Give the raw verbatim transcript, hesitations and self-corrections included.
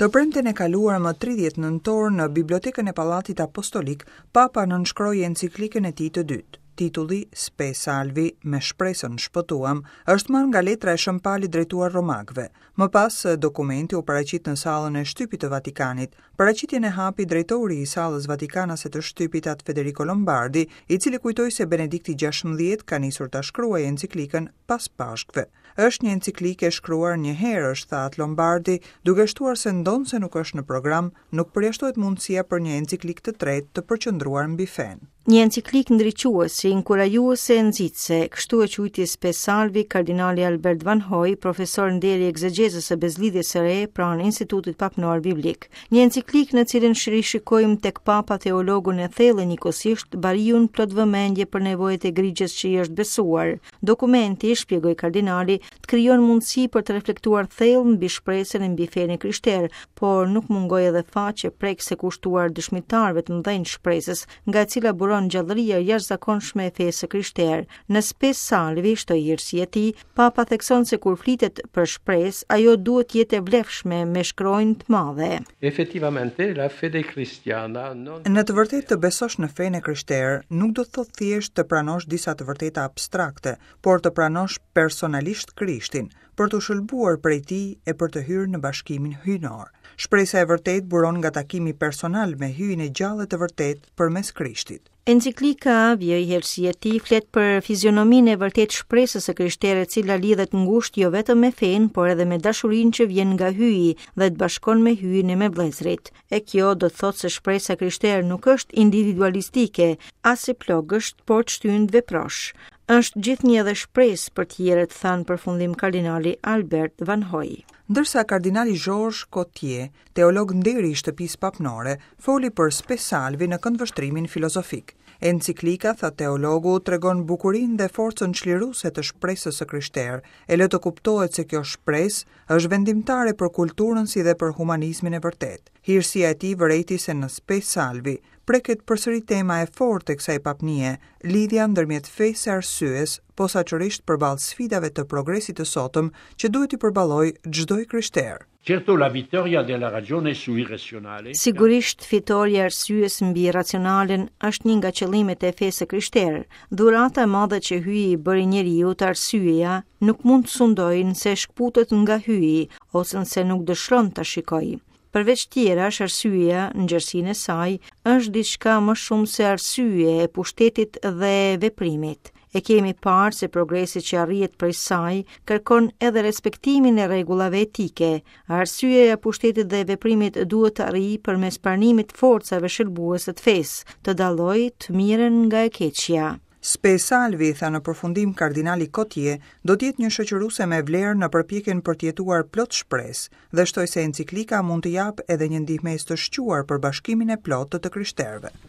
Të premten e kaluar, më tridhjetë nëntor, në Bibliotekën e Pallatit Apostolik, Papa nënshkroi enciklikën e tij të dytë. Titulli Spe Salvi, "Me shpresën shpëtuam", është marrë nga letra e Shën Palit drejtuar romakëve. Më pas, dokumenti u paraqit në sallën e shtypit të Vatikanit. Paraqitjen e hapi drejtori i sallës vatikanase të shtypit, At Federico Lombardi, i cili kujtoi se Benedikti gjashtëmbëdhjetë ka nisur ta shkruajë enciklikën pas Pashkëve. "Është një enciklikë e shkruar njëherësh", tha At Lombardi, duke shtuar se ndonëse nuk është në program, nuk përjashtohet mundësia për një enciklikë të tretë të përqendruar mbi fenë. "Një enciklikë ndriçuese, inkurajuese e nxitëse", kështu e quajti Spe Salvi kardinali Albert Van Hoy, profesor nderi ekzegjezës së Besëlidhjes së Re pranë Institutit Papnor Biblik. "Një enciklikë në cilën rishikojmë tek Papa teologun e thellë, njëkohësisht bariun plot vëmendje për nevojat e grigjës që i është besuar. Dokumenti", shpjegoi kardinali, "të krijon mundësi për të reflektuar thellë mbi shpresën e mbi fenë e krishterë", por nuk mungoi edhe faqe prekëse kushtuar dëshmitarëve të mëdhenj shpresës, nga e cila buron gjallëria e jashtëzakonshme e fesë së krishterë. Në Spe Salvi, shtoi hirësia e tij, Papa thekson se kur flitet për shpresë, ajo duhet të jetë e vlefshme me shkronjë të madhe. Effettivamente la fede cristiana non Në të vërtetë, të besosh në fenë e krishterë nuk do të thotë thjesht të pranosh disa të vërteta abstrakte, por të pranosh personalisht Krishtin, për të shëlbuar prej tij e për të hyrë në bashkimin hyjnor. Shpresa e vërtetë buron nga takimi personal me Hyjin e gjallë të vërtetë përmes Krishtit. Enciklika, vijoi hirësia e tij, flet për fizionominë e vërtet shpresës së krishterë, e cila lidhet ngushtë jo vetëm me fenë, por edhe me dashurinë që vjen nga Hyji dhe të bashkon me Hyjin e me vëllezërit. E kjo do të thotë se shpresa e krishterë nuk është individualistike, as e plogësht, por të shtyn të veprosh. "Është gjithnjë edhe shpresë për tjerët", tha në përfundim kardinali Albert Van Hoy. Ndërsa kardinali Georges Cottier, teolog nderi i shtëpisë papnore, foli për Spe Salvi në këndvështrimin filozofik. "Enciklika", tha teologu, "tregon bukurinë dhe forcën çliruese të shpresës së krishterë, e lë të kuptohet se kjo shpresë është vendimtare për kulturën si dhe për humanizmin e vërtetë." Hirësia e tij vërejti se në Spe Salvi preket përsëri tema e fortë e kësaj papnie, lidhja ndërmjet fesë e arsyes, posaçërisht përballë sfidave të progresit të sotëm që duhet t'i përballojë çdo i krishterë. Certo, la vittoria della ragione sull'irrazionale Sigurisht, fitorja e arsyes mbi racionalen është një nga qëllimet e fesë së krishterë. Dhurata e madhe që Hyji i bëri njeriut, arsyeja, nuk mund të sundojë nëse shkputet nga Hyji ose nëse nuk dëshiron ta shikojë. Përveç tjerash, arsyeja në gjerësinë e saj është diçka më shumë se arsye e pushtetit dhe veprimit. E kemi parë se progresi që arrihet prej saj kërkon edhe respektimin e rregullave etike. Arsyeja e pushtetit dhe veprimit duhet të arrijë përmes pranimit forcave shëlbuese të fesë, të dallojë të mirën nga e keqja. "Spe Salvi", tha në përfundim kardinali Cottier, "do të jetë një shoqëruese me vlerë në përpjekjen për të jetuar plot shpresë", dhe shtoi se enciklika mund të japë edhe një ndihmesë të shquar për bashkimin e plotë të të krishterëve.